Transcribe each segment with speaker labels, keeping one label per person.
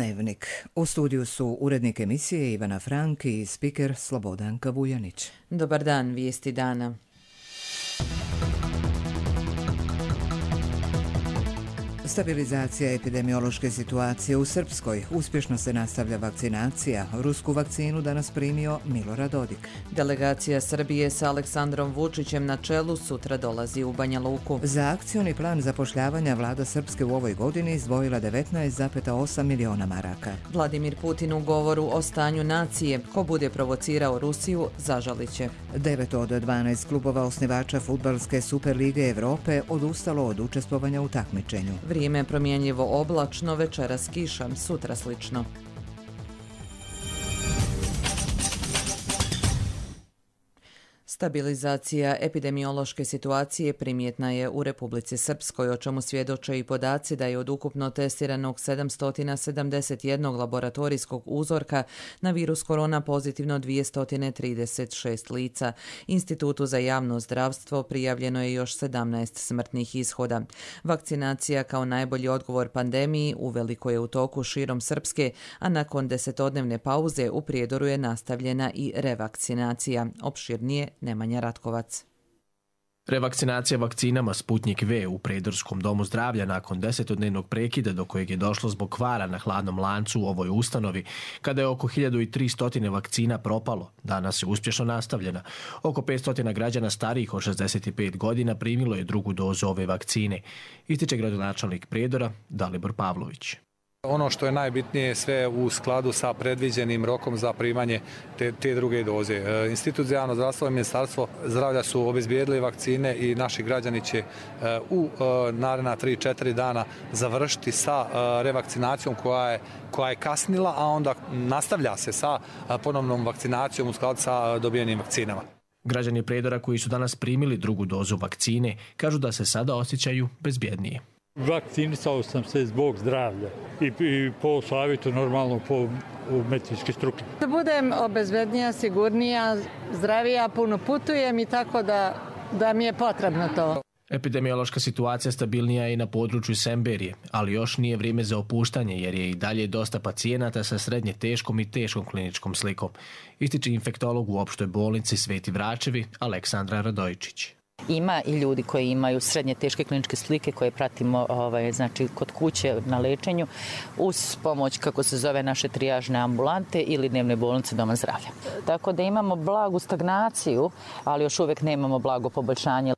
Speaker 1: Dnevnik. U studiju su urednik emisije Ivana Frank i spiker Slobodanka Vujanić.
Speaker 2: Dobar dan, vijesti dana.
Speaker 1: Stabilizacija epidemiološke situacije u Srpskoj. Uspješno se nastavlja vakcinacija. Rusku vakcinu danas primio Milorad Dodik.
Speaker 2: Delegacija Srbije sa Aleksandrom Vučićem na čelu sutra dolazi u Banja Luku.
Speaker 1: Za akcioni plan zapošljavanja vlada Srpske u ovoj godini izdvojila 19,8 miliona maraka.
Speaker 2: Vladimir Putin u govoru o stanju nacije. Ko bude provocirao Rusiju, zažalit će.
Speaker 1: 9 od 12 klubova osnivača fudbalske Superlige Evrope odustalo od učestvovanja u takmičenju.
Speaker 2: Vrijeme je promjenjivo oblačno, večeras kiša, sutra slično. Stabilizacija epidemiološke situacije primjetna je u Republici Srpskoj, o čemu svjedoče i podaci da je od ukupno testiranog 771 laboratorijskog uzorka na virus korona pozitivno 236 lica. Institutu za javno zdravstvo prijavljeno je još 17 smrtnih ishoda. Vakcinacija kao najbolji odgovor pandemiji uveliko je u toku širom Srpske, a nakon 10-dnevne pauze u Prijedoru je nastavljena i revakcinacija. Opširnije Nemanja Ratkovac.
Speaker 3: Revakcinacija vakcinama Sputnik V u Prijedorskom domu zdravlja nakon 10-dnevnog prekida do kojeg je došlo zbog kvara na hladnom lancu u ovoj ustanovi, kada je oko 1300 vakcina propalo, danas je uspješno nastavljena. Oko 500 građana starijih od 65 godina primilo je drugu dozu ove vakcine, ističe gradonačelnik Prijedora Dalibor Pavlović.
Speaker 4: Ono što je najbitnije, sve u skladu sa predviđenim rokom za primanje te druge doze. Institut za javno zdravstvo i Ministarstvo zdravlja su obezbijedili vakcine i naši građani će u naredna 3-4 dana završiti sa revakcinacijom koja je kasnila, a onda nastavlja se sa ponovnom vakcinacijom u skladu sa dobijenim vakcinama.
Speaker 3: Građani Prijedora koji su danas primili drugu dozu vakcine kažu da se sada osjećaju bezbjednije.
Speaker 5: Vakcinisao sam se zbog zdravlja i po savjetu normalno po medicinske struke.
Speaker 6: Da budem obezbednija, sigurnija, zdravija, puno putujem i tako da mi je potrebno to.
Speaker 3: Epidemiološka situacija stabilnija je i na području Semberije, ali još nije vrijeme za opuštanje jer je i dalje dosta pacijenata sa srednje teškom i teškom kliničkom slikom, ističe infektolog u opštoj bolnici Sveti Vračevi Aleksandra Radojičić.
Speaker 7: Ima i ljudi koji imaju srednje teške kliničke slike koje pratimo znači kod kuće na lečenju uz pomoć, kako se zove, naše trijažne ambulante ili dnevne bolnice doma zdravlja. Tako da imamo blagu stagnaciju, ali još uvijek nemamo blago poboljšanje.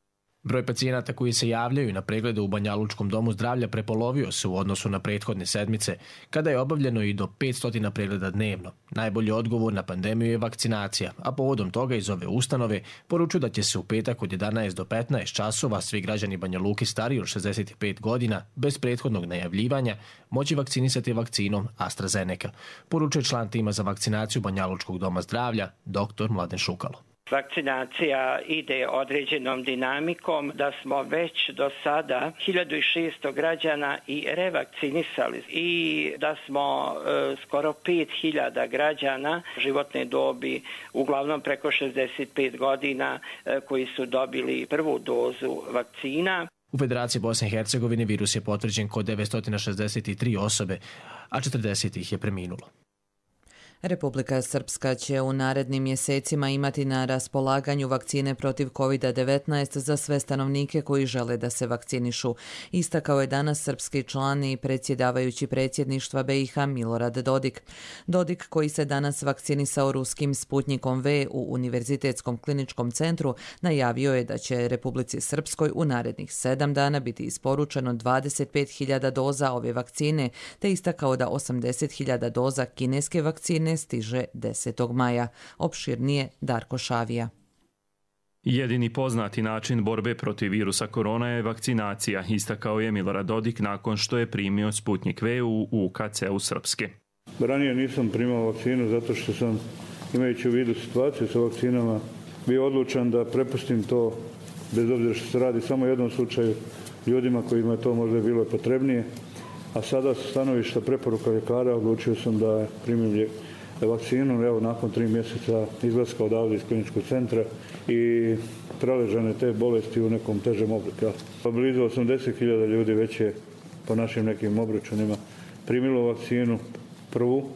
Speaker 3: Broj pacijenata koji se javljaju na preglede u Banjalučkom domu zdravlja prepolovio se u odnosu na prethodne sedmice, kada je obavljeno i do 500 pregleda dnevno. Najbolji odgovor na pandemiju je vakcinacija, a povodom toga iz ove ustanove poručuju da će se u petak od 11 do 15 časova svi građani Banja Luke stariji od 65 godina, bez prethodnog najavljivanja, moći vakcinisati vakcinom AstraZeneca, poručuje član tima za vakcinaciju Banjalučkog doma zdravlja, dr. Mladen Šukalo.
Speaker 8: Vakcinacija ide određenom dinamikom, da smo već do sada 1600 građana i revakcinisali i da smo skoro 5000 građana životne dobi, uglavnom preko 65 godina, koji su dobili prvu dozu vakcina.
Speaker 3: U Federaciji Bosne i Hercegovine virus je potvrđen kod 963 osobe, a 40 ih je preminulo.
Speaker 2: Republika Srpska će u narednim mjesecima imati na raspolaganju vakcine protiv COVID-19 za sve stanovnike koji žele da se vakcinišu. Istakao je danas srpski član i predsjedavajući predsjedništva BiH Milorad Dodik. Dodik, koji se danas vakcinisao ruskim Sputnikom V u Univerzitetskom kliničkom centru, najavio je da će Republici Srpskoj u narednih 7 dana biti isporučeno 25.000 doza ove vakcine, te istakao da 80.000 doza kineske vakcine stiže 10. maja. Opširnije Darko Šavija.
Speaker 9: Jedini poznati način borbe protiv virusa korona je vakcinacija, istakao je Milorad Dodik nakon što je primio Sputnik V u UKC-u Srpske.
Speaker 10: Ranije nisam primao vakcinu zato što sam, imajući u vidu situaciju sa vakcinama, bio odlučan da prepustim to, bez obzira što se radi samo u jednom slučaju, ljudima kojima je to možda bilo potrebnije. A sada sa stanovišta preporuka ljekara odlučio sam da primim vakcinu, evo nakon 3 mjeseca izlaska odavde iz kliničkog centra i preležane te bolesti u nekom težem obliku. Blizu 80.000 ljudi već je po našim nekim obračunima primilo vakcinu. prvu.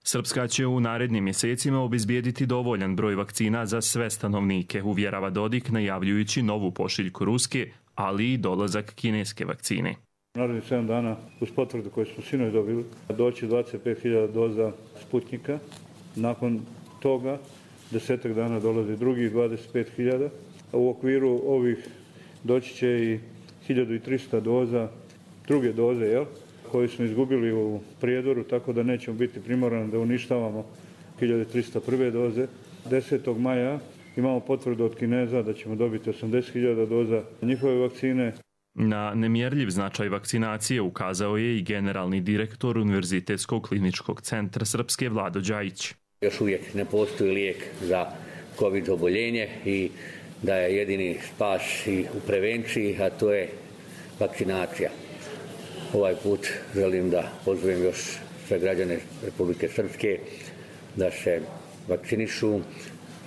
Speaker 9: Srpska će u narednim mjesecima obezbijediti dovoljan broj vakcina za sve stanovnike, uvjerava Dodik, najavljujući novu pošiljku ruske, ali i dolazak kineske vakcine.
Speaker 10: Narednih 7 dana, uz potvrdu koju smo sinoć dobili, doći 25.000 doza Sputnika. Nakon toga, 10 dana dolazi drugih 25.000. U okviru ovih doći će i 1300 doza, druge doze, koje smo izgubili u Prijedoru, tako da nećemo biti primorani da uništavamo 1301. doze. 10. maja imamo potvrdu od Kineza da ćemo dobiti 80.000 doza njihove vakcine.
Speaker 9: Na nemjerljiv značaj vakcinacije ukazao je i generalni direktor Univerzitetskog kliničkog centra Srpske Vlado Đajić.
Speaker 11: Još uvijek ne postoji lijek za COVID oboljenje i da je jedini spas i u prevenciji, a to je vakcinacija. Ovaj put želim da pozovem još sve građane Republike Srpske da se vakcinišu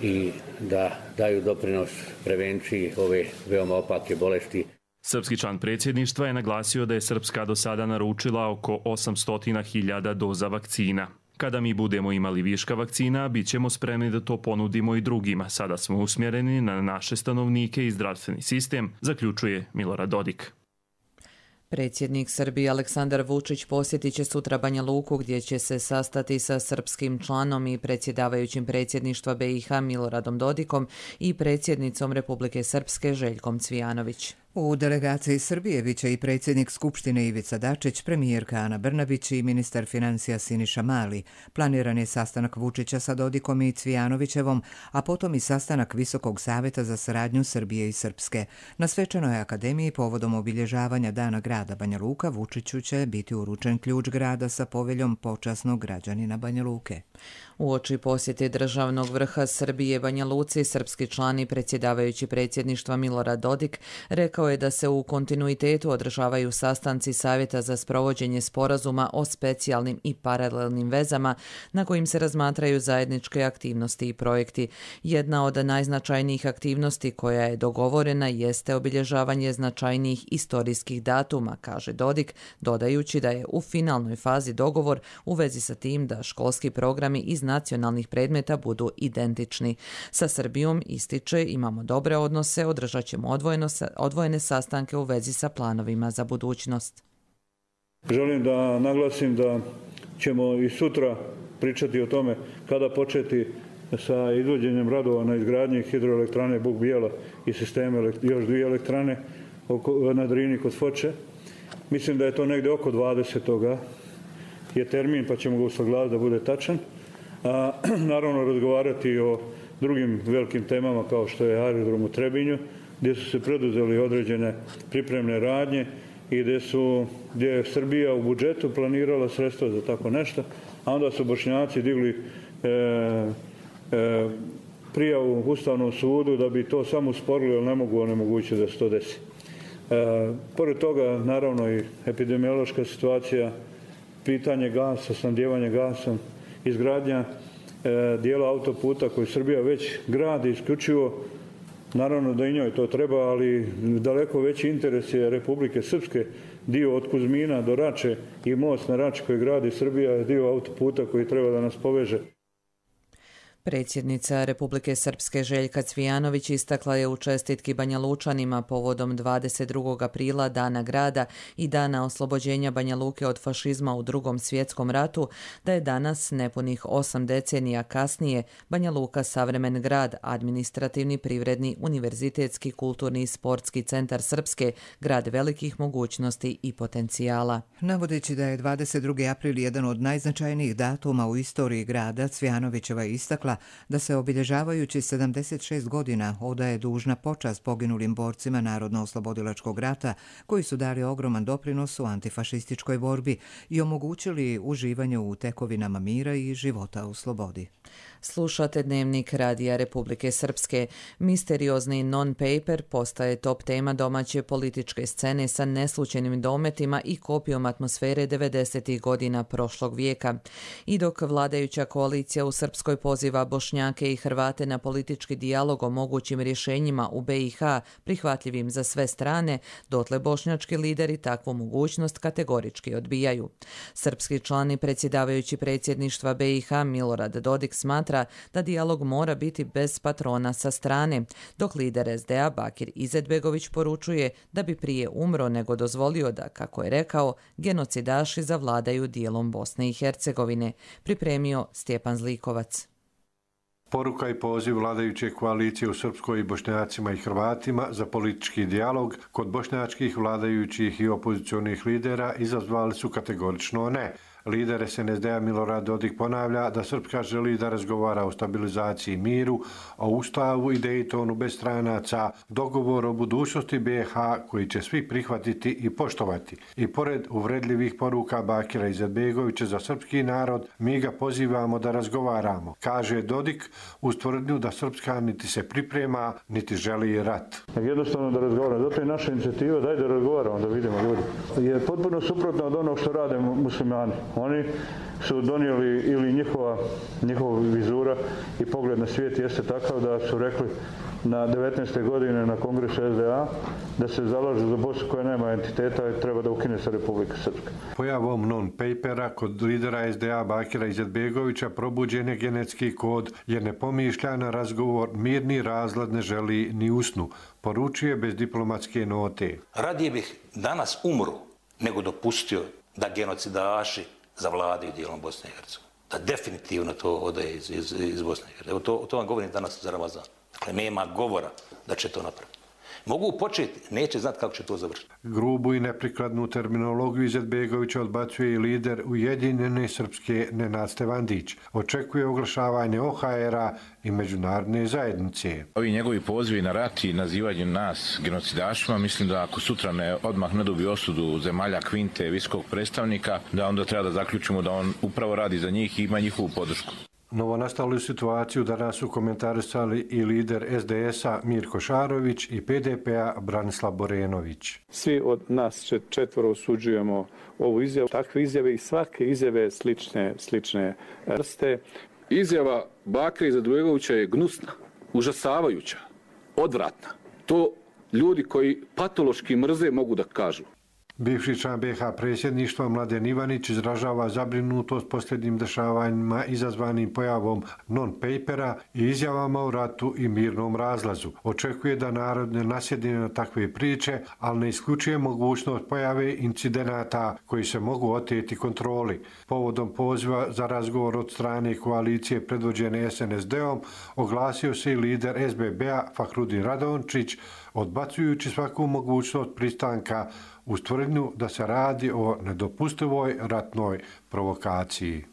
Speaker 11: i da daju doprinos prevenciji ove veoma opake bolesti.
Speaker 9: Srpski član predsjedništva je naglasio da je Srpska do sada naručila oko 800.000 doza vakcina. Kada mi budemo imali viška vakcina, bit ćemo spremni da to ponudimo i drugima. Sada smo usmjereni na naše stanovnike i zdravstveni sistem, zaključuje Milorad Dodik.
Speaker 2: Predsjednik Srbije Aleksandar Vučić posjetit će sutra Banja Luku gdje će se sastati sa srpskim članom i predsjedavajućim predsjedništva BiH Miloradom Dodikom i predsjednicom Republike Srpske Željkom Cvijanović.
Speaker 1: U delegaciji Srbije bit će i predsjednik Skupštine Ivica Dačić, premijerka Ana Brnabić i ministar financija Siniša Mali. Planiran je sastanak Vučića sa Dodikom i Cvijanovićevom, a potom i sastanak Visokog savjeta za saradnju Srbije i Srpske. Na Svečanoj akademiji povodom obilježavanja Dana grada Banja Luka Vučiću će biti uručen ključ grada sa poveljom počasnog građanina Banja Luke.
Speaker 2: Uoči posjete državnog vrha Srbije Banja Luci, srpski član i predsjedavajući predsjedništva Milorad Dodik rekao je da se u kontinuitetu održavaju sastanci Savjeta za sprovođenje sporazuma o specijalnim i paralelnim vezama na kojim se razmatraju zajedničke aktivnosti i projekti. Jedna od najznačajnijih aktivnosti koja je dogovorena jeste obilježavanje značajnijih istorijskih datuma, kaže Dodik, dodajući da je u finalnoj fazi dogovor u vezi sa tim da školski programi iz nacionalnih predmeta budu identični. Sa Srbijom, ističe, imamo dobre odnose, održat ćemo odvojene sastanke u vezi sa planovima za budućnost.
Speaker 10: Želim da naglasim da ćemo i sutra pričati o tome kada početi sa izvođenjem radova na izgradnji hidroelektrane Buk Bijela i sisteme još 2 elektrane na Drini kod Foče. Mislim da je to negdje oko 20. je termin, pa ćemo ga usaglasiti da bude tačan. A naravno razgovarati o drugim velikim temama kao što je aerodrom u Trebinju, gdje su se preduzeli određene pripremne radnje i gdje je Srbija u budžetu planirala sredstva za tako nešto, a onda su Bošnjaci digli prijavu Ustavnom sudu da bi to samo usporili, ali ne mogu onemogućiti da se to desi. Pored toga, naravno, i epidemiološka situacija, pitanje gasa, snabdijevanje gasom, izgradnja dijela autoputa koji Srbija već gradi isključivo. Naravno da i njoj to treba, ali daleko veći interes je Republike Srpske, dio od Kuzmina do Rače i most na Rači koji gradi Srbija je dio autoputa koji treba da nas poveže.
Speaker 2: Predsjednica Republike Srpske Željka Cvijanović istakla je u čestitki Banja Lučanima povodom 22. aprila Dana grada i Dana oslobođenja Banja Luke od fašizma u Drugom svjetskom ratu da je danas, nepunih 8 decenija kasnije, Banja Luka savremen grad, administrativni, privredni, univerzitetski, kulturni i sportski centar Srpske, grad velikih mogućnosti i potencijala.
Speaker 1: Navodeći da je 22. april jedan od najznačajnijih datuma u istoriji grada, Cvijanovićeva istakla da se obilježavajući 76 godina odaje dužna počast poginulim borcima Narodno-oslobodilačkog rata koji su dali ogroman doprinos u antifašističkoj borbi i omogućili uživanje u tekovinama mira i života u slobodi.
Speaker 2: Slušate Dnevnik Radija Republike Srpske. Misteriozni non-paper postaje top tema domaće političke scene sa neslučajnim dometima i kopijom atmosfere 90. godina prošlog vijeka. I dok vladajuća koalicija u Srpskoj poziva Bošnjake i Hrvate na politički dijalog o mogućim rješenjima u BiH prihvatljivim za sve strane, dotle bošnjački lideri takvu mogućnost kategorički odbijaju. Srpski član i predsjedavajući predsjedništva BiH Milorad Dodik smatra da dijalog mora biti bez patrona sa strane, dok lider SDA Bakir Izetbegović poručuje da bi prije umro nego dozvolio da, kako je rekao, genocidaši zavladaju dijelom Bosne i Hercegovine, pripremio Stjepan Zlikovac.
Speaker 12: Poruka i poziv vladajuće koalicije u Srpskoj i Bošnjacima i Hrvatima za politički dijalog kod bošnjačkih vladajućih i opozicionih lidera izazvali su kategorično ne. Lider SNSD-a Milorad Dodik ponavlja da Srpska želi da razgovara o stabilizaciji i miru, o Ustavu i Dejtonu bez stranaca, dogovor o budućnosti BiH koji će svi prihvatiti i poštovati. I pored uvredljivih poruka Bakira Izetbegovića za srpski narod, mi ga pozivamo da razgovaramo, kaže Dodik uz tvrdnju da Srpska niti se priprema, niti želi rat.
Speaker 10: Jednostavno da razgovaramo. Zato je naša inicijativa daj da razgovaramo, da vidimo ljudi. Je potpuno suprotno od onog što rade muslimani. Oni su donijeli ili njihova vizura i pogled na svijet jeste takav da su rekli na 19. godine na kongresu SDA da se zalažu za Bosnu koja nema entiteta i treba da ukine se Republika Srpska.
Speaker 12: Pojavom non-papera kod lidera SDA Bakira Izetbegovića probuđen je genetski kod jer ne pomišlja na razgovor, mirni razlad ne želi ni usnu, poručuje bez diplomatske note.
Speaker 13: Radije bih danas umru nego dopustio da genocidaši zavladaju dijelom Bosne i Hercegovine. Da definitivno to ode iz Bosne i Hercegovine. To vam govorim danas za Ramazan. Dakle, nema govora da će to napraviti. Mogu početi, neće znati kako će to završiti.
Speaker 12: Grubu i neprikladnu terminologiju Izetbegovića odbacuje i lider Ujedinjene Srpske Nenad Stevandić. Očekuje oglašavanje OHR-a i međunarodne zajednice.
Speaker 14: Ovi njegovi pozivi na rat i nazivanje nas genocidašima, mislim da ako sutra odmah ne dobije osudu zemalja Kvinte, visokog predstavnika, da onda treba da zaključimo da on upravo radi za njih i ima njihovu podršku.
Speaker 12: Novonastalu situaciju danas su komentarisali i lider SDS-a Mirko Šarović i PDP-a Branislav Borenović.
Speaker 15: Svi od nas četvoro osuđujemo ovu izjavu, takve izjave i svake izjave slične vrste.
Speaker 16: Izjava Bakira Izetbegovića je gnusna, užasavajuća, odvratna. To ljudi koji patološki mrze mogu da kažu.
Speaker 12: Bivši član BiH predsjedništva Mladen Ivanić izražava zabrinutost posljednjim dešavanjima izazvanim pojavom non-papera i izjavama o ratu i mirnom razlazu. Očekuje da narod ne nasjedne na takve priče, ali ne isključuje mogućnost pojave incidenata koji se mogu oteti kontroli. Povodom poziva za razgovor od strane koalicije predvođene SNSD-om oglasio se i lider SBB-a Fahrudin Radončić, odbacujući svaku mogućnost pristanka uz tvrdnju da se radi o nedopustivoj ratnoj provokaciji.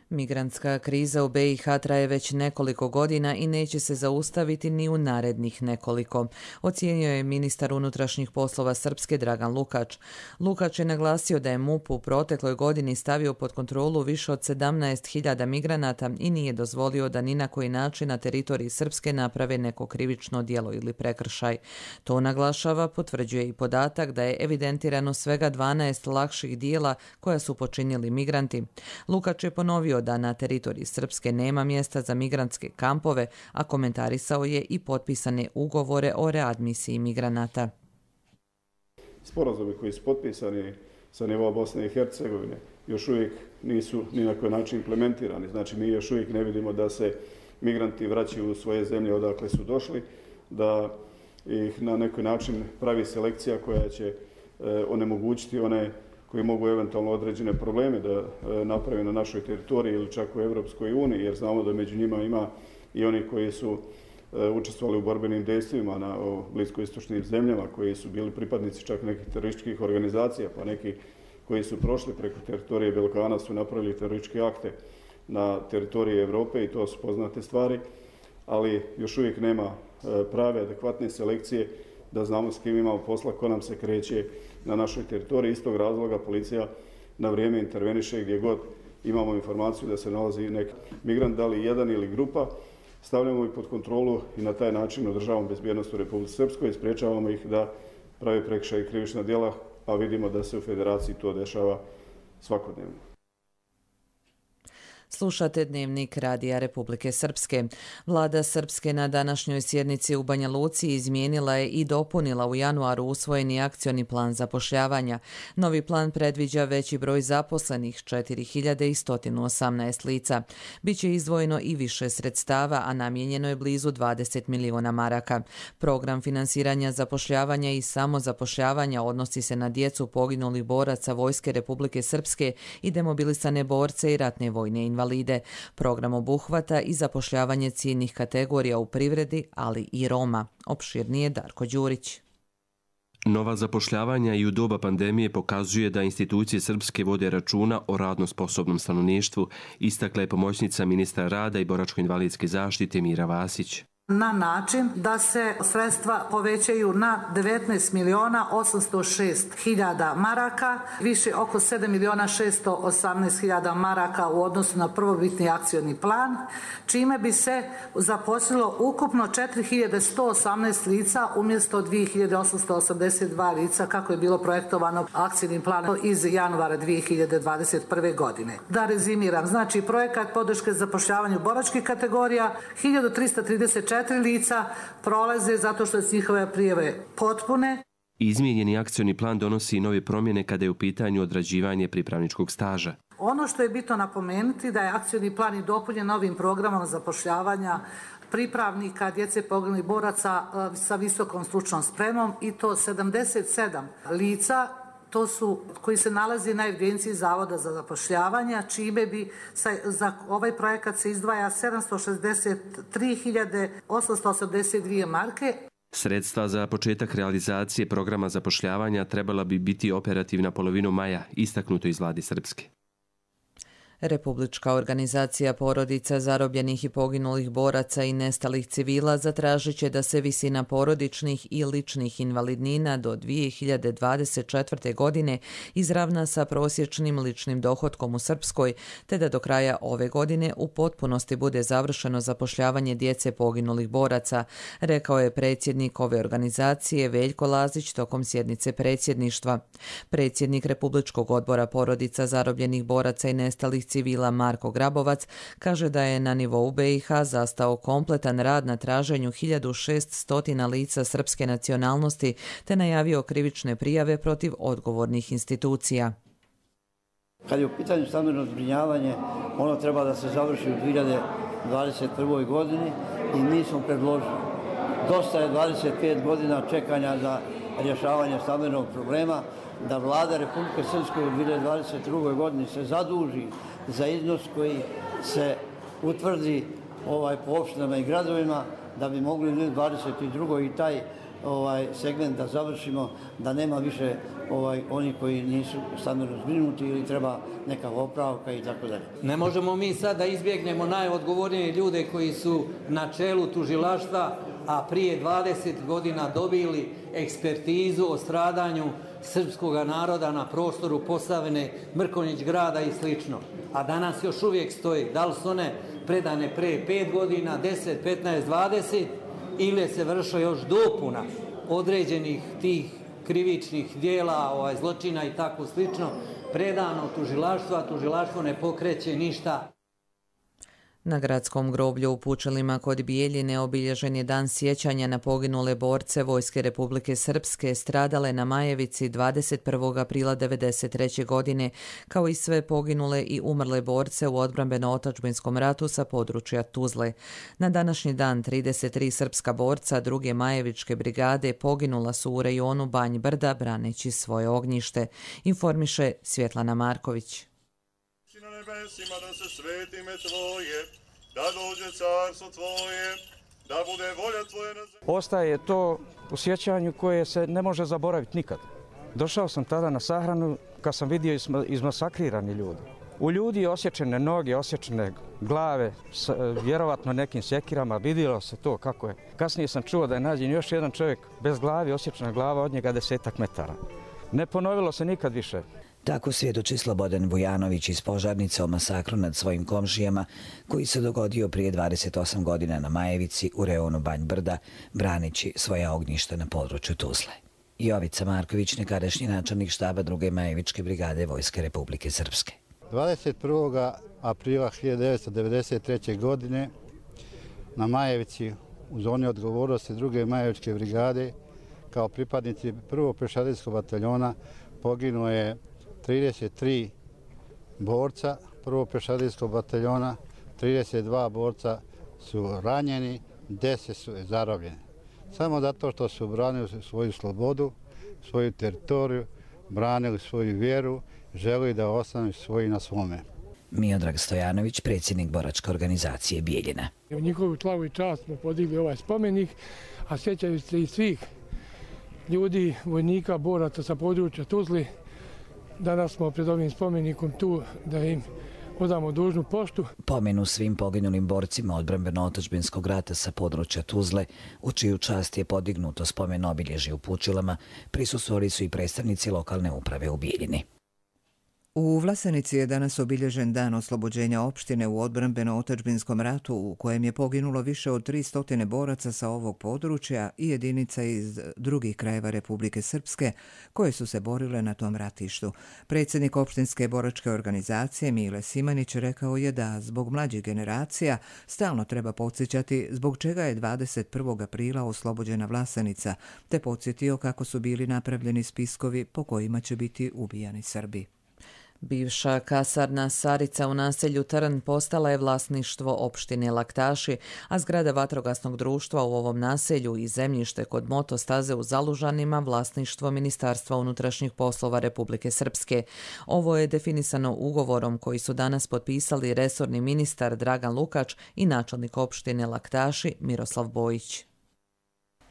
Speaker 2: Migrantska kriza u BiH traje već nekoliko godina i neće se zaustaviti ni u narednih nekoliko, ocijenio je ministar unutrašnjih poslova Srpske Dragan Lukač. Lukač je naglasio da je MUP u protekloj godini stavio pod kontrolu više od 17.000 migranata i nije dozvolio da ni na koji način na teritoriji Srpske naprave neko krivično djelo ili prekršaj. To naglašava, potvrđuje i podatak da je evidentirano svega 12 lakših djela koja su počinili migranti. Lukač je ponovio da na teritoriji Srpske nema mjesta za migrantske kampove, a komentarisao je i potpisane ugovore o readmisiji migranata.
Speaker 17: Sporazumi koji su potpisani sa nivoa Bosne i Hercegovine još uvijek nisu ni na koji način implementirani. Znači mi još uvijek ne vidimo da se migranti vraćaju u svoje zemlje odakle su došli, da ih na neki način pravi selekcija koja će onemogućiti one koji mogu eventualno određene probleme da naprave na našoj teritoriji ili čak u Evropskoj uniji, jer znamo da među njima ima i oni koji su učestvovali u borbenim dejstvima na bliskoistočnim zemljama, koji su bili pripadnici čak nekih terorističkih organizacija, pa neki koji su prošli preko teritorije Balkana su napravili terorističke akte na teritoriji Evrope i to su poznate stvari, ali još uvijek nema prave, adekvatne selekcije da znamo s kim imamo posla, ko nam se kreće na našoj teritoriji. Iz tog razloga policija na vrijeme interveniše gdje god imamo informaciju da se nalazi neki migrant, da li jedan ili grupa, stavljamo ih pod kontrolu i na taj način održavamo bezbjednost u Republici Srpskoj i sprečavamo ih da prave prekršaje i krivična djela, a vidimo da se u Federaciji to dešava svakodnevno.
Speaker 2: Slušate Dnevnik Radija Republike Srpske. Vlada Srpske na današnjoj sjednici u Banja Luci izmijenila je i dopunila u januaru usvojeni akcioni plan zapošljavanja. Novi plan predviđa veći broj zaposlenih, 4118 lica. Biće izdvojeno i više sredstava, a namijenjeno je blizu 20 miliona maraka. Program finansiranja zapošljavanja i samozapošljavanja odnosi se na djecu poginulih boraca Vojske Republike Srpske i demobilisane borce i ratne vojne invalide. Program obuhvata i zapošljavanje ciljnih kategorija u privredi, ali i Roma. Opširnije Darko Đurić.
Speaker 18: Nova zapošljavanja i u doba pandemije pokazuje da institucije srpske vode računa o radno sposobnom stanovništvu, istakla je pomoćnica ministra rada i boračko-invalidske zaštite Mira Vasić.
Speaker 19: Na način da se sredstva povećaju na 19.806.000 maraka, više oko 7.618.000 maraka u odnosu na prvobitni akcioni plan, čime bi se zaposlilo ukupno 4.118 lica umjesto 2.882 lica kako je bilo projektovano akcijnim planom iz januara 2021. godine. Da rezimiram, znači projekat podrške zapošljavanju boračkih kategorija 1.334 lica prolaze zato što su njihove prijave potpune.
Speaker 18: Izmijenjeni akcioni plan donosi i nove promjene kada je u pitanju odrađivanje pripravničkog staža.
Speaker 19: Ono što je bitno napomenuti da je akcioni plan i dopunjen novim programom zapošljavanja pripravnika djece poginulih boraca sa visokom stručnom spremom i to 77 lica. To su koji se nalazi na evidenciji Zavoda za zapošljavanje, čime bi za ovaj projekat se izdvaja 763.882 marke.
Speaker 18: Sredstva za početak realizacije programa zapošljavanja trebala bi biti operativna polovinom maja, istaknuto iz Vlade Srpske.
Speaker 2: Republička organizacija porodica zarobljenih i poginulih boraca i nestalih civila zatražit će da se visina porodičnih i ličnih invalidnina do 2024. godine izravna sa prosječnim ličnim dohotkom u Srpskoj, te da do kraja ove godine u potpunosti bude završeno zapošljavanje djece poginulih boraca, rekao je predsjednik ove organizacije Veljko Lazić tokom sjednice predsjedništva. Predsjednik Republičkog odbora porodica zarobljenih boraca i nestalih civila Marko Grabovac kaže da je na nivou BiH zastao kompletan rad na traženju 1600 lica srpske nacionalnosti te najavio krivične prijave protiv odgovornih institucija.
Speaker 20: Kad je u pitanju stambeno zbrinjavanje, ono treba da se završi u 2021. godini i mi smo predložili. Dosta je 25 godina čekanja za rješavanje stambenog problema, da vlada Republike Srpske u 2022. godini se zaduži za iznos koji se utvrdi po opštinama i gradovima, da bi mogli u 2022. i taj segment da završimo, da nema više oni koji nisu stambeno zbrinuti ili treba neka opravka i tako dalje.
Speaker 21: Ne možemo mi sad da izbjegnemo najodgovornije ljude koji su na čelu tužilaštva, a prije 20 godina dobili ekspertizu o stradanju srpskog naroda na prostoru Posavine, Mrkonjić grada i slično. A danas još uvijek stoji. Da li su one predane pre 5 godina, 10, 15, 20 ili se vršila još dopuna određenih tih krivičnih dijela, zločina i tako slično, predano tužilaštvo, a tužilaštvo ne pokreće ništa.
Speaker 2: Na gradskom groblju u Pučelima kod Bijeljine obilježen je dan sjećanja na poginule borce Vojske Republike Srpske stradale na Majevici 21. aprila 1993. godine, kao i sve poginule i umrle borce u odbrambeno-otačbinskom ratu sa područja Tuzle. Na današnji dan 33 srpska borca druge Majevičke brigade poginula su u rejonu Banj Brda braneći svoje ognjište, informiše Svjetlana Marković.
Speaker 22: Da se sveti ime Tvoje, da dođe carstvo Tvoje, da bude volja Tvoje na zemlji.
Speaker 23: Ostaje to u sjećanju koje se ne može zaboraviti nikad. Došao sam tada na sahranu kad sam vidio izmasakrirani ljudi. U ljudi je osječene noge, osječene glave, vjerovatno nekim sjekirama, vidjelo se to kako je. Kasnije sam čuo da je nađen još jedan čovjek bez glavi, osječena glava od njega 10 metara. Ne ponovilo se nikad više.
Speaker 4: Tako svjedoči Slobodan Vujanović iz Požarnice o masakru nad svojim komšijama koji se dogodio prije 28 godina na Majevici u reonu Banj Brda, branići svoja ognjišta na području Tuzle. Jovica Marković, nekadašnji načelnik štaba 2. Majevičke brigade Vojske Republike Srpske.
Speaker 5: 21. aprila 1993. godine na Majevici u zoni odgovornosti 2. Majevičke brigade kao pripadnici 1. pješadijskog bataljona poginuo je 33 borca 1. pješadijskog bataljona, 32 borca su ranjeni, 10 su zarobljeni. Samo zato što su branili svoju slobodu, svoju teritoriju, branili svoju vjeru, želi da ostanu svoji na svome.
Speaker 4: Miodrag Stojanović, predsjednik boračke organizacije Bijeljina.
Speaker 6: U njihovu slavu i čast smo podigli ovaj spomenik, a sjećaju se i svih ljudi, vojnika, boraca sa područja Tuzli. Danas smo pred ovim spomenikom tu da im odamo dužnu poštu.
Speaker 4: Pomenu svim poginulim borcima odbrambeno-otadžbinskog rata sa područja Tuzle, u čiju čast je podignuto spomen obilježje u Pučilama, prisustvovali su i predstavnici lokalne uprave u Bijeljini.
Speaker 1: U Vlasenici je danas obilježen dan oslobođenja opštine u odbrambeno-otadžbinskom ratu u kojem je poginulo više od 300 boraca sa ovog područja i jedinica iz drugih krajeva Republike Srpske koje su se borile na tom ratištu. Predsjednik opštinske boračke organizacije Mile Simanić rekao je da zbog mlađih generacija stalno treba podsjećati zbog čega je 21. aprila oslobođena Vlasenica, te podsjetio kako su bili napravljeni spiskovi po kojima će biti ubijani Srbi.
Speaker 2: Bivša kasarna Sarica u naselju Trn postala je vlasništvo opštine Laktaši, a zgrada vatrogasnog društva u ovom naselju i zemljište kod motostaze u Zalužanima vlasništvo Ministarstva unutrašnjih poslova Republike Srpske. Ovo je definisano ugovorom koji su danas potpisali resorni ministar Dragan Lukač i načelnik opštine Laktaši Miroslav Bojić.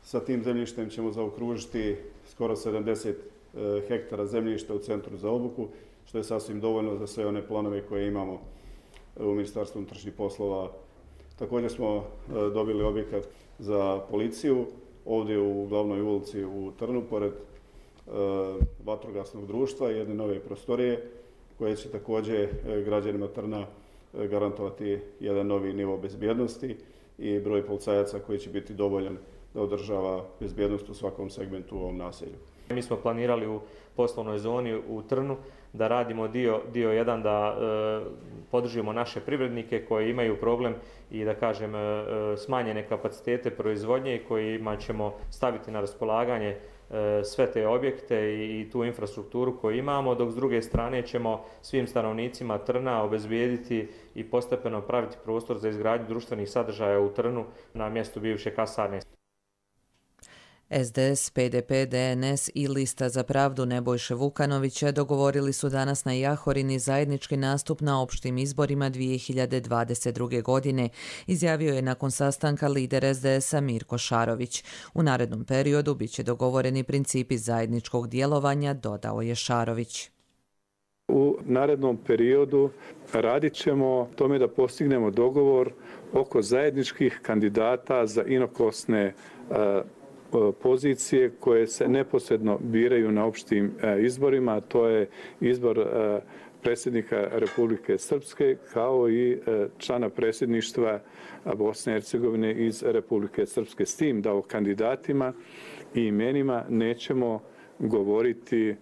Speaker 17: Sa tim zemljištem ćemo zaokružiti skoro 70 hektara zemljišta u centru za obuku, što je sasvim dovoljno za sve one planove koje imamo u Ministarstvu unutrašnjih poslova. Također smo dobili objekat za policiju ovdje u glavnoj ulici u Trnu, pored vatrogasnog društva i jedne nove prostorije koje će također građanima Trna garantovati jedan novi nivo bezbjednosti i broj policajaca koji će biti dovoljan da održava bezbjednost u svakom segmentu u ovom naselju.
Speaker 24: Mi smo planirali u poslovnoj zoni u Trnu da radimo dio jedan, da podržimo naše privrednike koji imaju problem i da kažem smanjene kapacitete proizvodnje i kojima ćemo staviti na raspolaganje sve te objekte i tu infrastrukturu koju imamo, dok s druge strane ćemo svim stanovnicima Trna obezbijediti i postepeno praviti prostor za izgradnju društvenih sadržaja u Trnu na mjestu bivše kasarne.
Speaker 2: SDS, PDP, DNS i Lista za pravdu Nebojše Vukanovića dogovorili su danas na Jahorini zajednički nastup na opštim izborima 2022. godine, izjavio je nakon sastanka lider SDS-a Mirko Šarović. U narednom periodu biće dogovoreni principi zajedničkog djelovanja, dodao je Šarović.
Speaker 15: U narednom periodu radit ćemo tome da postignemo dogovor oko zajedničkih kandidata za inokosne pozicije koje se neposredno biraju na opštim izborima, to je izbor predsjednika Republike Srpske kao i člana predsjedništva Bosne i Hercegovine iz Republike Srpske. S tim da o kandidatima i imenima nećemo govoriti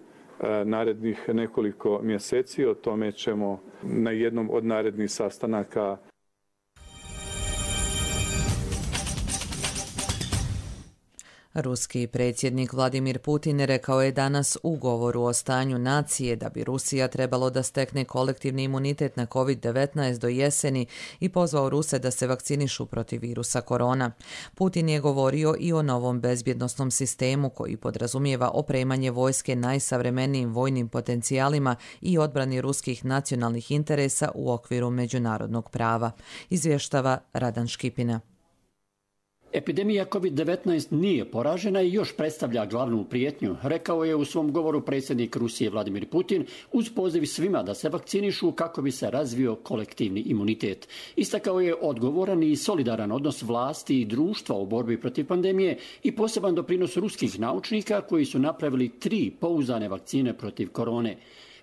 Speaker 15: narednih nekoliko mjeseci, o tome ćemo na jednom od narednih sastanaka.
Speaker 2: Ruski predsjednik Vladimir Putin rekao je danas u govoru o stanju nacije da bi Rusija trebalo da stekne kolektivni imunitet na COVID-19 do jeseni i pozvao Ruse da se vakcinišu protiv virusa korona. Putin je govorio i o novom bezbjednosnom sistemu koji podrazumijeva opremanje vojske najsavremenijim vojnim potencijalima i odbrani ruskih nacionalnih interesa u okviru međunarodnog prava, izvještava Radan Škipina.
Speaker 25: Epidemija COVID-19 nije poražena i još predstavlja glavnu prijetnju, rekao je u svom govoru predsjednik Rusije Vladimir Putin uz poziv svima da se vakcinišu kako bi se razvio kolektivni imunitet. Istakao je odgovoran i solidaran odnos vlasti i društva u borbi protiv pandemije i poseban doprinos ruskih naučnika koji su napravili 3 pouzdane vakcine protiv korone.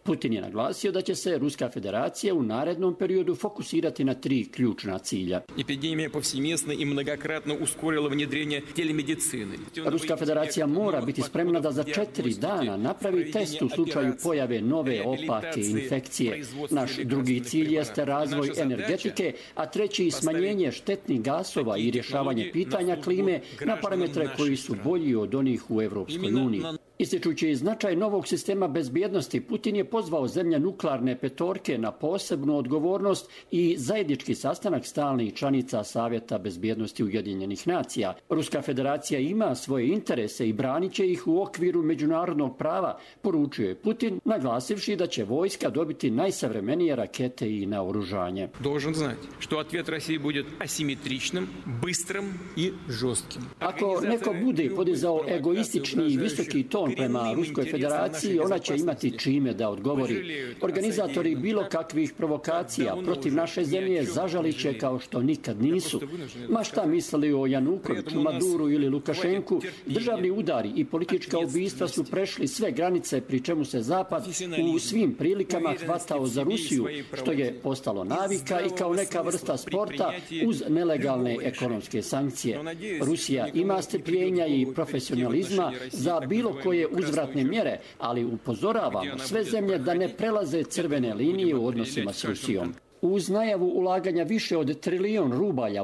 Speaker 25: Putin je naglasio da će se Ruska federacija u narednom periodu fokusirati na 3 ključna cilja.
Speaker 3: Epidemija povsеместно i mnogokratno usporila внедрение telemedicine.
Speaker 25: Ruska federacija mora biti spremna da za 4 dana napravi test u slučaju pojave nove opake infekcije. Naš drugi cilj jeste razvoj energetike, a treći smanjenje štetnih gasova i rješavanje pitanja klime na parametre koji su bolji od onih u Evropskoj uniji. Ističući značaj novog sistema bezbjednosti, Putin je pozvao zemlje nuklearne petorke na posebnu odgovornost i zajednički sastanak stalnih članica Savjeta bezbjednosti Ujedinjenih nacija. Ruska federacija ima svoje interese i branit će ih u okviru međunarodnog prava, poručio je Putin, naglasivši da će vojska dobiti najsavremenije rakete i naoružanje.
Speaker 3: Должен знать, что ответ России будет асимметричным, быстрым и жестким.
Speaker 25: Ako neko bude podizao egoistični i visoki ton prema Ruskoj federaciji, ona će imati čime da odgovori. Organizatori bilo kakvih provokacija protiv naše zemlje zažalit će kao što nikad nisu. Ma šta mislili o Janukoviću, Maduru ili Lukašenku, državni udari i politička ubistva su prešli sve granice, pri čemu se Zapad u svim prilikama hvatao za Rusiju, što je postalo navika i kao neka vrsta sporta uz nelegalne ekonomske sankcije. Rusija ima strpljenja i profesionalizma za bilo koje uzvratne mjere, ali upozoravamo sve zemlje da ne prelaze crvene linije u odnosima s Rusijom. Uz najavu ulaganja više od $1 trilion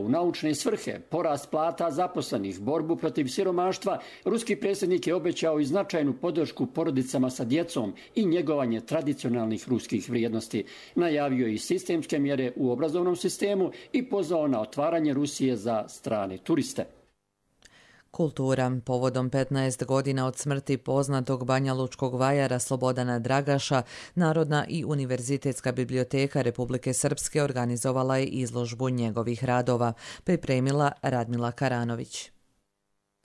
Speaker 25: u naučne svrhe, porast plata zaposlenih, borbu protiv siromaštva, ruski predsjednik je obećao i značajnu podršku porodicama sa djecom i njegovanje tradicionalnih ruskih vrijednosti. Najavio je i sistemske mjere u obrazovnom sistemu i pozvao na otvaranje Rusije za strane turiste.
Speaker 2: Kultura. Povodom 15 godina od smrti poznatog banjalučkog vajara Slobodana Dragaša, Narodna i univerzitetska biblioteka Republike Srpske organizovala je izložbu njegovih radova, pripremila Radmila Karanović.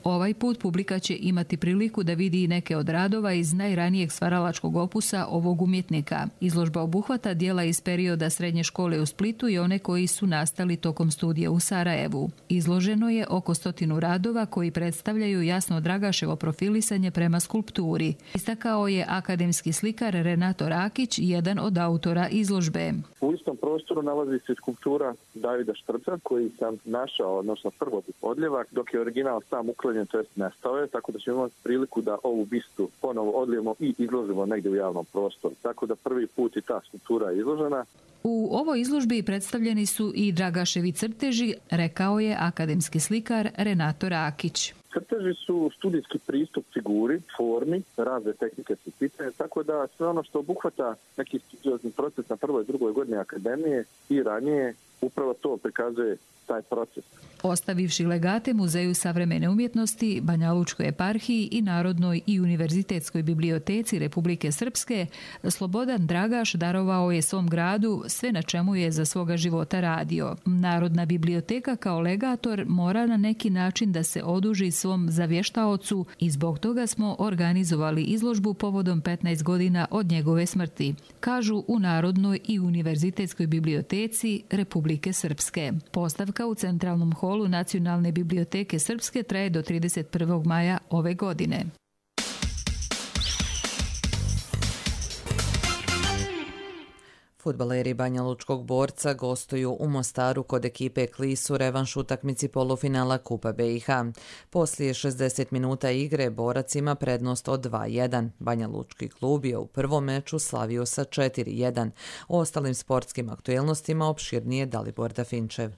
Speaker 7: Ovaj put publika će imati priliku da vidi neke od radova iz najranijeg stvaralačkog opusa ovog umjetnika. Izložba obuhvata dijela iz perioda srednje škole u Splitu i one koji su nastali tokom studija u Sarajevu. Izloženo je oko 100 radova koji predstavljaju jasno Dragaševo profilisanje prema skulpturi. Istakao je akademski slikar Renato Rakić, jedan od autora izložbe.
Speaker 8: U istom prostoru nalazi se skulptura Davida Štrca koji sam našao, odnosno prvobit odljevak, dok je original sam uklonjen, to jest nestao je, tako da ćemo imati priliku da ovu bistu ponovo odlijemo i izložimo negdje u javnom prostoru. Tako da prvi put i ta skulptura je izložena.
Speaker 7: U ovoj izložbi predstavljeni su i Dragaševi crteži, rekao je akademski slikar Renato Rakić.
Speaker 8: Crteži su studijski pristup figuri, formi, razne tehnike su pitanje, tako da sve ono što obuhvata neki studiozni proces na prvoj i drugoj godini akademije i ranije, upravo to prikazuje taj proces.
Speaker 7: Ostavivši legate Muzeju savremene umjetnosti, Banjalučkoj eparhiji i Narodnoj i univerzitetskoj biblioteci Republike Srpske, Slobodan Dragaš darovao je svom gradu sve na čemu je za svoga života radio. Narodna biblioteka kao legator mora na neki način da se oduži svom zavještaocu i zbog toga smo organizovali izložbu povodom 15 godina od njegove smrti, kažu u Narodnoj i univerzitetskoj biblioteci Republike Srpske. Postavka u centralnom holu Nacionalne biblioteke Srpske traje do 31. maja ove godine.
Speaker 2: Fudbaleri Banjalučkog Borca gostuju u Mostaru kod ekipe Klis u revanš utakmici polufinala Kupa BiH. Poslije 60 minuta igre Borac ima prednost od 2-1. Banjalučki klub je u prvom meču slavio sa 4-1. O ostalim sportskim aktuelnostima opširnije Dalibor Dafinčev.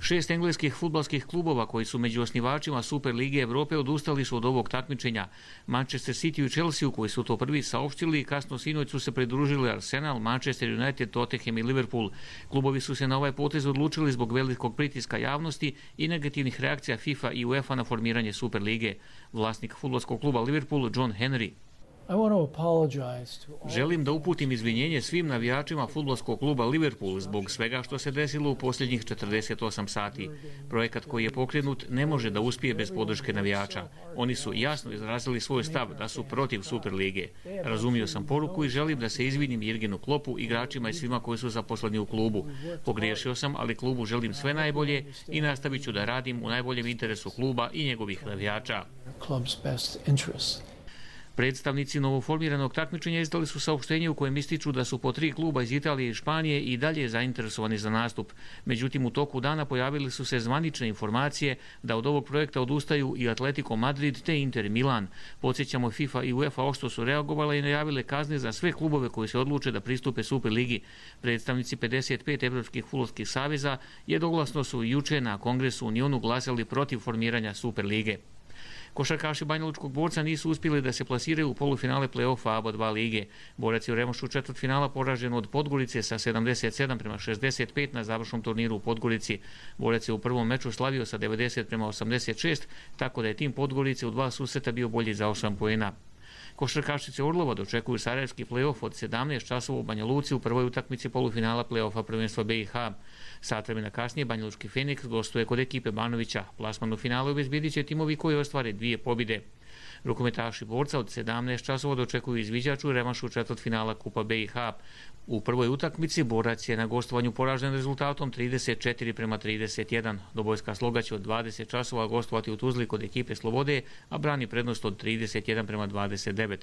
Speaker 9: 6 engleskih fudbalskih klubova koji su među osnivačima Super Lige Evrope odustali su od ovog takmičenja. Manchester City i Chelsea koji su to prvi saopštili, kasno sinoć su se pridružili Arsenal, Manchester United, Tottenham i Liverpool. Klubovi su se na ovaj potez odlučili zbog velikog pritiska javnosti i negativnih reakcija FIFA i UEFA na formiranje Super Lige. Vlasnik fudbalskog kluba Liverpool, John Henry: želim da uputim izvinjenje svim navijačima fudbalskog kluba Liverpool zbog svega što se desilo u posljednjih 48 sati. Projekat koji je pokrenut ne može da uspije bez podrške navijača. Oni su jasno izrazili svoj stav da su protiv Super Lige. Razumio sam poruku i želim da se izvinim Jurgenu Kloppu, igračima i svima koji su zaposleni u klubu. Pogriješio sam, ali klubu želim sve najbolje i nastavit ću da radim u najboljem interesu kluba i njegovih navijača. Predstavnici novoformiranog takmičenja izdali su saopštenje u kojem ističu da su po 3 kluba iz Italije i Španije i dalje zainteresovani za nastup. Međutim, u toku dana pojavili su se zvanične informacije da od ovog projekta odustaju i Atletico Madrid te Inter Milan. Podsjećamo, FIFA i UEFA oštro su reagovale i najavile kazne za sve klubove koji se odluče da pristupe Superligi. Predstavnici 55 evropskih fudbalskih saveza jednoglasno su juče na Kongresu u Unionu glasali protiv formiranja Superlige. Košarkaši Banjalučkog Borca nisu uspjeli da se plasiraju u polufinale play-offa ABA 2 lige. Borac je u revanšu četvrtfinala poražen od Podgorice sa 77-65 na završnom turniru u Podgorici. Borac je u prvom meču slavio sa 90-86, tako da je tim Podgorice u 2 susreta bio bolji za 8 poena. Košarkašice Orlova dočekuju sarajevski play-off od 17 časova u Banja Luci u prvoj utakmici polufinala play-offa prvenstva BiH. Sat vremena kasnije Banjalučki Feniks gostuje kod ekipe Banovića. Plasman u finalu obezbjedit će timovi koji ostvare 2 pobjede. Rukometaši Borca od 17 časova dočekuju izviđaču revanšu četvrtfinala Kupa BiH. U prvoj utakmici Borac je na gostovanju poražen rezultatom 34-31. Dobojska Sloga će od 20 časova gostovati u Tuzli kod ekipe Slobode, a brani prednost od 31-29.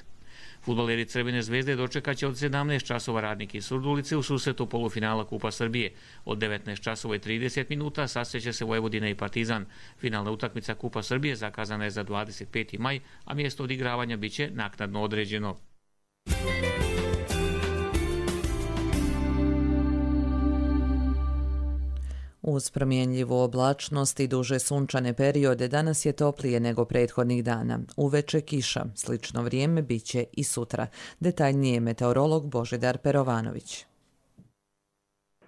Speaker 9: Fudbaleri Crvene zvezde dočekat će od 17 časova Radnik iz Surdulice u susretu polufinala Kupa Srbije. Od 19 časova i 30 minuta sasreće se Vojvodina i Partizan. Finalna utakmica Kupa Srbije zakazana je za 25. maj, a mjesto odigravanja biće naknadno određeno.
Speaker 2: Uz promjenljivu oblačnost i duže sunčane periode danas je toplije nego prethodnih dana. Uveče kiša, slično vrijeme biće i sutra. Detaljnije meteorolog Božidar Perovanović.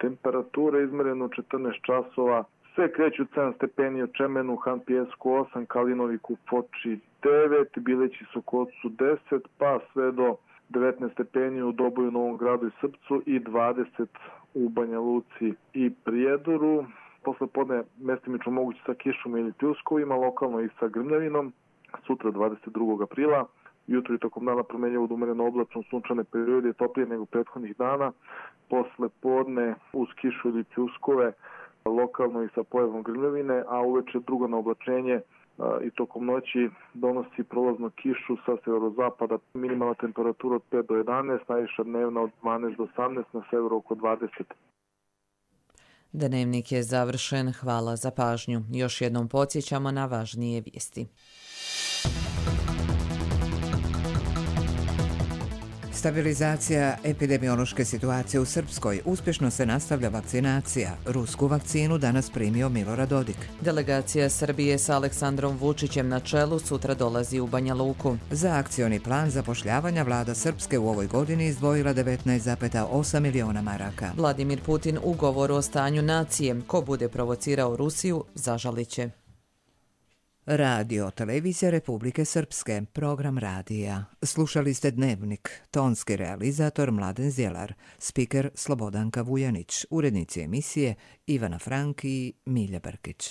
Speaker 10: Temperatura izmerena u 14 časova. Sve kreću 7 stepeni u Čemenu, Han Pijesku 8, Kalinoviku, Foči 9, Bileći Sokocu 10, pa sve do 19 stepeni u Doboju, Novom Gradu i Srpcu i 20 u Banja Luci i Prijedoru. Posle podne mestimično moguće sa kišom ili pljuskovima, lokalno i sa grmljavinom. Sutra 22. aprila. Jutro i tokom dana promjenjivo umereno oblačno, sunčane periode, toplije nego prethodnih dana. Posle podne uz kišu ili pljuskove, lokalno i sa pojavom grmljavine, a uveče drugo na oblačenje i tokom noći donosi prolaznu kišu sa severozapada. Minimalna temperatura od 5 do 11, najviša dnevna od 12 do 18, na severu oko 20.
Speaker 2: Dnevnik je završen. Hvala za pažnju. Još jednom podsjećamo na važnije vijesti.
Speaker 1: Stabilizacija epidemiološke situacije u Srpskoj. Uspješno se nastavlja vakcinacija. Rusku vakcinu danas primio Milorad Dodik.
Speaker 2: Delegacija Srbije sa Aleksandrom Vučićem na čelu sutra dolazi u Banja Luku.
Speaker 1: Za akcioni plan zapošljavanja vlada Srpske u ovoj godini izdvojila 19,8 miliona maraka.
Speaker 2: Vladimir Putin u govoru o stanju nacije. Ko bude provocirao Rusiju, zažalit će.
Speaker 1: Radio, televizija Republike Srpske, program radija. Slušali ste Dnevnik, tonski realizator Mladen Zjelar, spiker Slobodanka Vujanić, urednici emisije Ivana Frank i Milja Brkić.